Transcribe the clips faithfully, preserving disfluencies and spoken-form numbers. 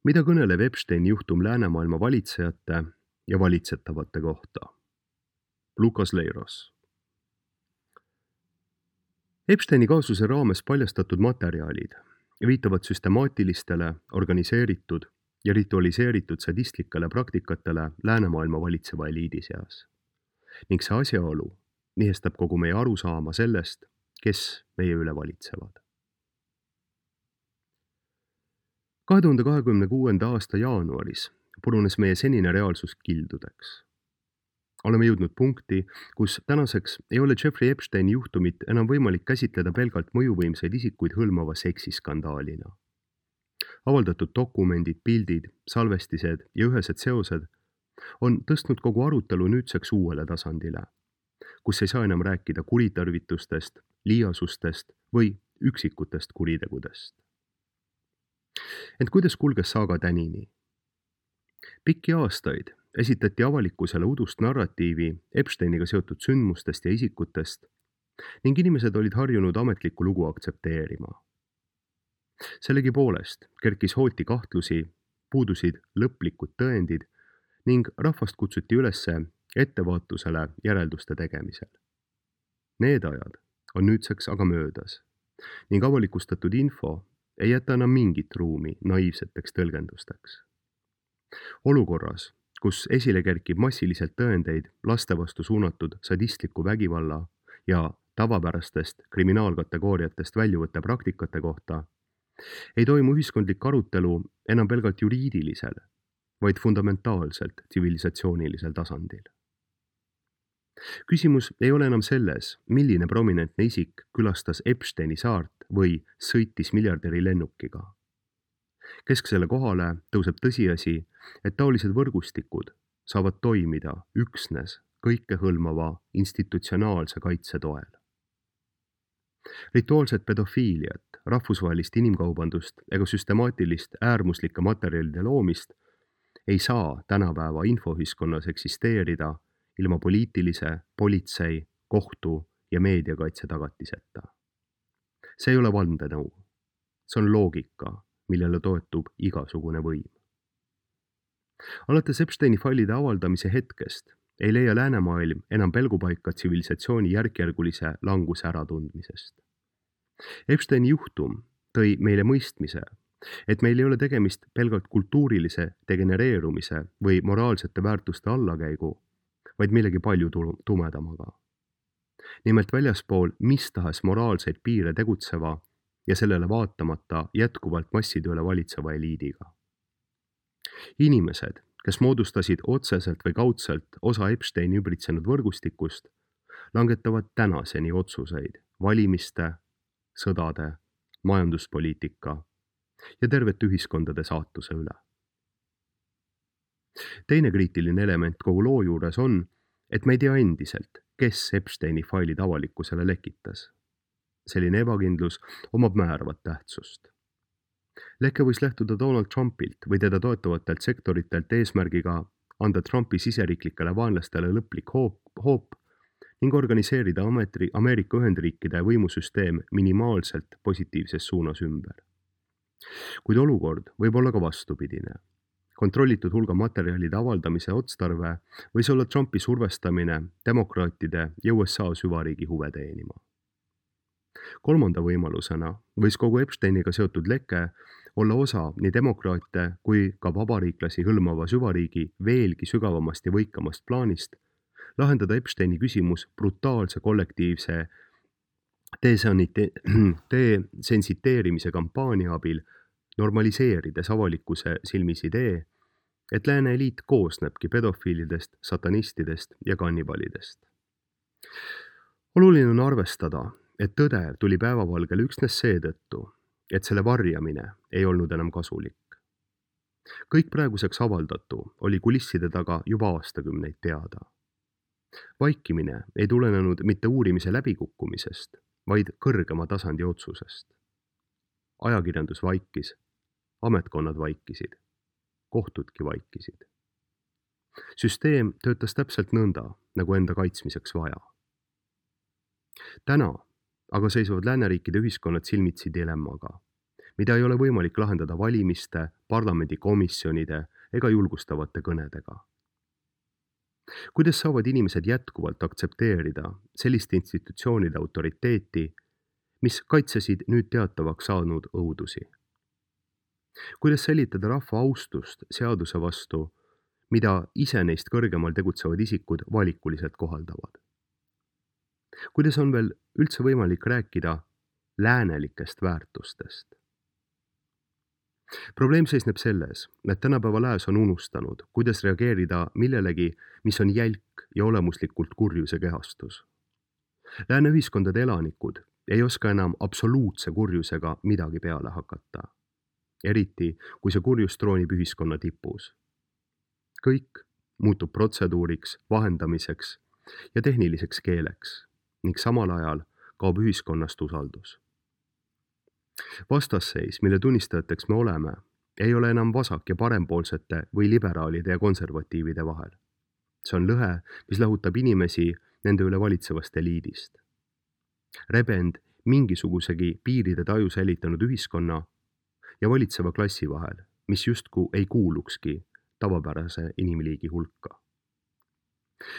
Mida kõneleb Epsteini juhtum läänemaailma valitsejate ja valitsetavate kohta? Lukas Leiros. Epsteini kaasuse raames paljastatud materjalid viitavad süstemaatilistele, organiseeritud ja ritualiseeritud sadistlikele praktikatele läänemaailma valitseva eliidi seas. Ning see asjaolu nihestab kogu meie arusaama sellest, kes meie üle valitsevad. kahe tuhande kahekümne kuuenda aasta jaanuaris purunes meie senine reaalsus kildudeks. Oleme jõudnud punkti, kus tänaseks ei ole Jeffrey Epsteini juhtumit enam võimalik käsitleda pelgalt mõjuvõimsaid isikuid hõlmava seksiskandaalina. Avaldatud dokumendid, pildid, salvestised ja ühesed seosed on tõstnud kogu arutelu nüüdseks uuele tasandile, kus ei saa enam rääkida kuritarvitustest, liiasustest või üksikutest kuritegudest. Ent kuidas kulges saaga tänini? Pikki aastaid esitati avalikkusele udust narratiivi Epsteiniga seotud sündmustest ja isikutest ning inimesed olid harjunud ametlikku lugu aktsepteerima. Sellegi poolest kerkis hooti kahtlusi, puudusid lõplikud tõendid ning rahvast kutsuti ülesse ettevaatusele järelduste tegemisel. Need ajad on nüüdseks aga möödas ning avalikustatud info ei jäta enam mingit ruumi naiivseteks tõlgendusteks. Olukorras, kus esile kerkib massiliselt tõendeid laste vastu suunatud sadistliku vägivalla ja tavapärastest kriminaalkategooriatest väljuvate praktikate kohta, ei toimu ühiskondlik arutelu enam pelgalt juriidilisel, vaid fundamentaalselt tsivilisatsioonilisel tasandil. Küsimus ei ole enam selles, milline prominentne isik külastas Epsteini saart või sõitis miljardäri lennukiga. Kesksele kohale tõuseb tõsiasi, et taolised võrgustikud saavad toimida üksnes kõikehõlmava institutsionaalse kaitse toel. Rituaalset pedofiiliat, rahvusvahelist inimkaubandust ega süstemaatilist äärmuslike materjalide loomist ei saa tänapäeva infoühiskonnas eksisteerida ilma poliitilise, politsei, kohtu ja meediakaitse tagatiseta. See ei ole vandenõu. See on loogika, millele toetub igasugune võim. Alates Epsteini failide avaldamise hetkest ei leia läänemaailm enam pelgupaika tsivilisatsiooni järkjärgulise languse äratundmisest. Epsteini juhtum tõi meile mõistmise, et meil ei ole tegemist pelgalt kultuurilise degenereerumise või moraalsete väärtuste allakäigu, vaid millegi palju tumedamaga. Nimelt väljaspool mis tahes moraalseid piire tegutseva ja sellele vaatamata jätkuvalt masside üle valitseva eliidiga. Inimesed, kes moodustasid otseselt või kaudselt osa Epsteini ümbritsenud võrgustikust, langetavad tänaseni otsuseid valimiste, sõdade, majanduspoliitika ja tervete ühiskondade saatuse üle. Teine kriitiline element kogu loo juures on, et me ei tea endiselt, kes Epsteini failid avalikkusele lekitas. Selline ebakindlus omab määravat tähtsust. Leke võis lähtuda Donald Trumpilt või teda toetavatelt sektoritelt eesmärgiga anda Trumpi siseriiklikele vaenlastele lõplik hoop, hoop ning organiseerida Ameerika Ühendriikide võimusüsteem minimaalselt positiivses suunas ümber. Kuid olukord võib olla ka vastupidine. Kontrollitud hulga materjalide avaldamise otstarve võis olla Trumpi survestamine demokraatide ja U S A süvariigi huve teenima. Kolmanda võimalusena võis kogu Epsteiniga seotud leke olla osa nii demokraate kui ka vabariiklasi hõlmava süvariigi veelgi sügavamast ja võikamast plaanist lahendada Epsteini küsimus brutaalse kollektiivse desensiteerimise kampaania abil, normaliseerides avalikkuse silmis idee, et lääne eliit koosnebki pedofiilidest, satanistidest ja kannibalidest. Oluline on arvestada, et tõde tuli päevavalgele üksnes seetõttu, et selle varjamine ei olnud enam kasulik. Kõik praeguseks avaldatu oli kulisside taga juba aastakümneid teada. Vaikimine ei tulenenud mitte uurimise läbikukkumisest, vaid kõrgema tasandi otsusest. Ajakirjandus vaikis, ametkonnad vaikisid, kohtudki vaikisid. Süsteem töötas täpselt nõnda, nagu enda kaitsmiseks vaja. Täna aga seisvad lääneriikide ühiskonnad silmitsi dilemmaga, mida ei ole võimalik lahendada valimiste, parlamendikomisjonide ega julgustavate kõnedega. Kuidas saavad inimesed jätkuvalt aktsepteerida selliste institutsioonide autoriteeti, mis kaitsesid nüüd teatavaks saanud õudusi? Kuidas säilitada rahva austust seaduse vastu, mida ise neist kõrgemal tegutsevad isikud valikuliselt kohaldavad? Kuidas on veel üldse võimalik rääkida läänelikest väärtustest? Probleem seisneb selles, et tänapäeva lääs on unustanud, kuidas reageerida millelegi, mis on jälk ja olemuslikult kurjuse kehastus. Lääne ühiskondade elanikud ei oska enam absoluutse kurjusega midagi peale hakata. Eriti, kui see kurjus troonib ühiskonna tipus. Kõik muutub protseduuriks, vahendamiseks ja tehniliseks keeleks ning samal ajal kaob ühiskonnast usaldus. Vastasseis, mille tunnistajateks me oleme, ei ole enam vasak- ja parempoolsete või liberaalide ja konservatiivide vahel. See on lõhe, mis lahutab inimesi nende üle valitsevast eliidist. Rebend mingisugusegi piiride taju säilitanud ühiskonna ja valitseva klassi vahel, mis justkui ei kuulukski tavapärase inimliigi hulka.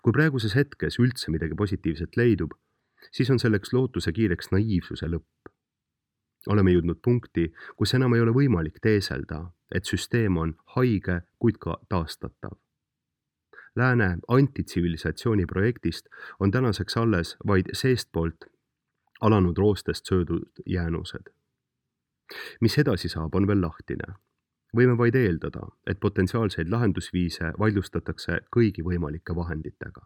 Kui praeguses hetkes üldse midagi positiivset leidub, siis on selleks lootuse kiireks naiivsuse lõpp. Oleme jõudnud punkti, kus enam ei ole võimalik teeselda, et süsteem on haige, kuid ka taastatav. Lääne antitsivilisatsiooni projektist on tänaseks alles vaid seestpoolt alanud roostest söödud jäänused. Mis edasi saab, on veel lahtine. Võime vaid eeldada, et potentsiaalseid lahendusviise vaidlustatakse kõigi võimalike vahenditega.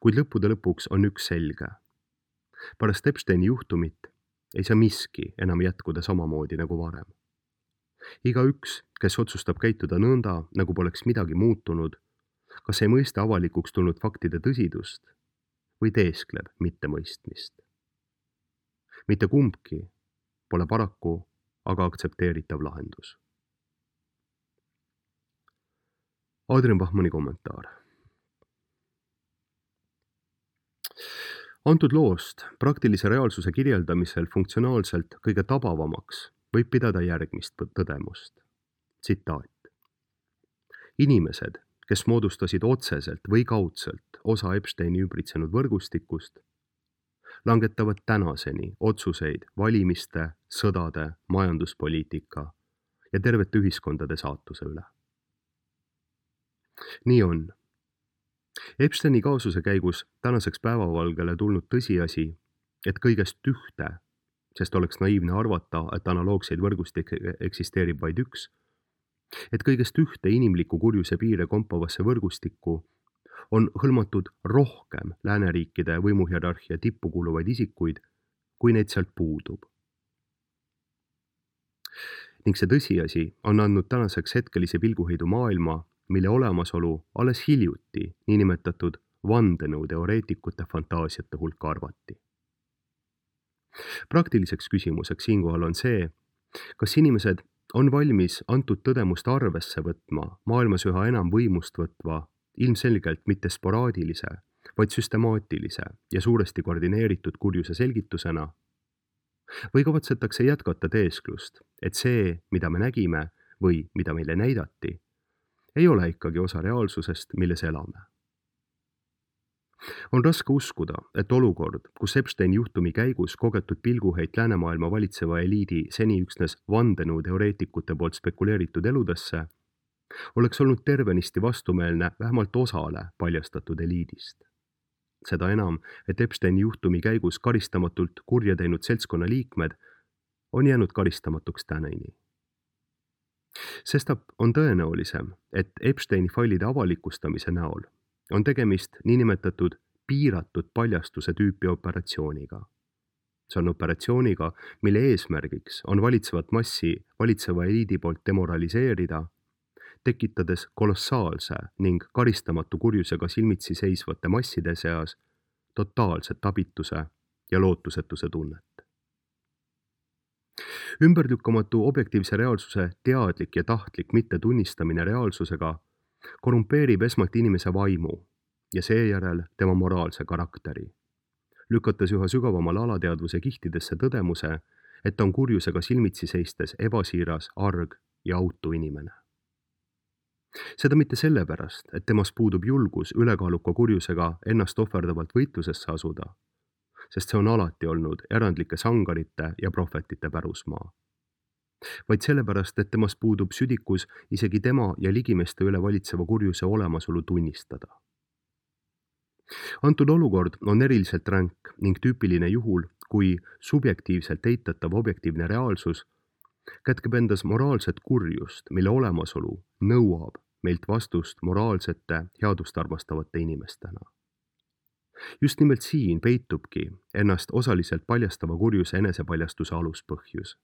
Kuid lõppude lõpuks on üks selge. Pärast Epsteini juhtumit ei saa miski enam jätkuda samamoodi nagu varem. Igaüks, kes otsustab käituda nõnda, nagu poleks midagi muutunud, kas ei mõista avalikuks tulnud faktide tõsidust või teeskleb mittemõistmist. Mitte kumbki pole paraku aga aktsepteeritav lahendus. Adrian Bachmanni kommentaar. Antud loost praktilise reaalsuse kirjeldamisel funktsionaalselt kõige tabavamaks võib pidada järgmist tõdemust. Tsitaat. Inimesed, kes moodustasid otseselt või kaudselt osa Epsteini ümbritsenud võrgustikust, langetavad tänaseni otsuseid valimiste, sõdade, majanduspoliitika ja tervete ühiskondade saatuse üle. Nii on. Epsteini kaasuse käigus tänaseks päevavalgele tulnud tõsiasi, et kõigest ühte, sest oleks naiivne arvata, et analoogseid võrgustikke eksisteerib vaid üks, et kõigest ühte inimliku kurjuse piire kompavasse võrgustikku on hõlmatud rohkem lääneriikide võimuhierarhia tippu kuuluvaid isikuid, kui neid sealt puudub. Ning see tõsiasi on andnud tänaseks hetkelise pilguheidu maailma, mille olemasolu alles hiljuti niinimetatud vandenõuteoreetikute fantaasiate hulka arvati. Praktiliseks küsimuseks siinkohal on see, kas inimesed on valmis antud tõdemust arvesse võtma maailmas üha enam võimust võtva, ilmselgelt mitte sporaadilise, vaid süstemaatilise ja suuresti koordineeritud kurjuse selgitusena, või kavatsetakse jätkata teesklust, et see, mida me nägime või mida meile näidati, ei ole ikkagi osa reaalsusest, milles elame. On raske uskuda, et olukord, kus Epsteini juhtumi käigus kogetud pilguheit läänemaailma valitseva eliidi seni üksnes vandenõuteoreetikute poolt spekuleeritud eludesse, oleks olnud tervenisti vastumeelne vähemalt osale paljastatud eliidist. Seda enam, et Epsteini juhtumi käigus karistamatult kurja teinud seltskonna liikmed on jäänud karistamatuks tänini. Sestap on tõenäolisem, et Epsteini failide avalikustamise näol on tegemist niinimetatud piiratud paljastuse tüüpi operatsiooniga. See on operatsiooniga, mille eesmärgiks on valitsevat massi valitseva eliidi poolt demoraliseerida, tekitades kolossaalse ning karistamatu kurjusega silmitsi seisvate masside seas totaalset abituse ja lootusetuse tunnet. Ümberlükkamatu objektiivse reaalsuse teadlik ja tahtlik mittetunnistamine reaalsusega korrumpeerib esmalt inimese vaimu ja seejärel tema moraalse karakteri, lükates üha sügavamale alateadvuse kihtidesse tõdemuse, et ta on kurjusega silmitsi seistes ebasiiras, arg ja autu inimene. Seda mitte sellepärast, et temas puudub julgus ülekaaluka kurjusega ennast ohverdavalt võitlusesse asuda, sest see on alati olnud erandlike sangarite ja prohvetite pärusmaa. Vaid sellepärast, et temas puudub südikus isegi tema ja ligimeste üle valitseva kurjuse olemasolu tunnistada. Antud olukord on eriliselt ränk ning tüüpiline juhul, kui subjektiivselt eitatav objektiivne reaalsus kätkeb endas moraalset kurjust, mille olemasolu nõuab meilt vastust moraalsete, headust armastavate inimestena. Just nimelt siin peitubki ennast osaliselt paljastava kurjuse enesepaljastuse aluspõhjus,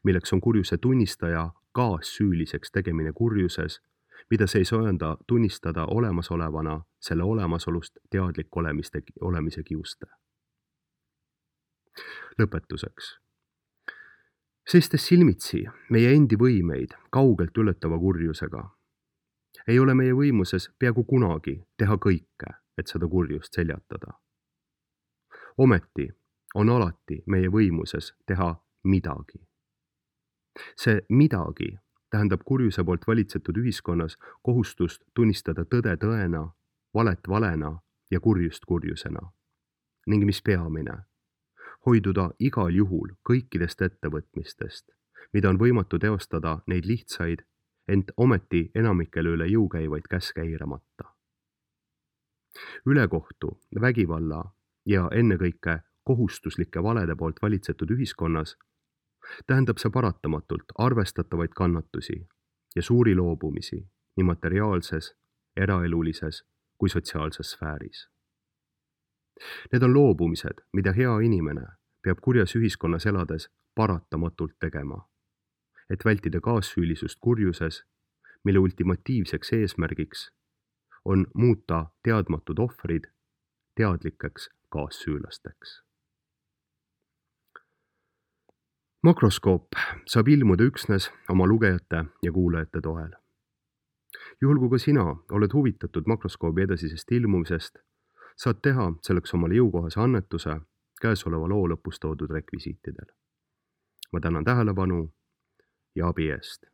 milleks on kurjuse tunnistaja kaassüüliseks tegemine kurjuses, mida see ei söanda tunnistada olemasolevana selle olemasolust teadlik olemiste, olemise kiuste. Lõpetuseks. Seistes silmitsi meie endi võimeid kaugelt ületava kurjusega, ei ole meie võimuses peaaegu kunagi teha kõike, et seda kurjust seljatada. Ometi on alati meie võimuses teha midagi. See midagi tähendab kurjuse poolt valitsetud ühiskonnas kohustust tunnistada tõde tõena, valet valena ja kurjust kurjusena. Ning mis peamine, hoiduda igal juhul kõikidest ettevõtmistest, mida on võimatu teostada neid lihtsaid, ent ometi enamikele üle jõu käivaid käske eiramata. Ülekohtu, vägivalla ja ennekõike kohustuslike valede poolt valitsetud ühiskonnas tähendab see paratamatult arvestatavaid kannatusi ja suuri loobumisi nii materiaalses, eraelulises kui sotsiaalses sfääris. Need on loobumised, mida hea inimene peab kurjas ühiskonnas elades paratamatult tegema, et vältida kaassüülisust kurjuses, mille ultimatiivseks eesmärgiks on muuta teadmatud ohvrid teadlikeks kaassüülasteks. Makroskoop saab ilmuda üksnes oma lugejate ja kuulajate toel. Juhul kui ka sina oled huvitatud makroskoobi edasisest ilmumisest, saad teha selleks omale jõukohase annetuse käesoleva loo lõpus toodud rekvisiitidel. Ma tänan tähelepanu ja abi eest.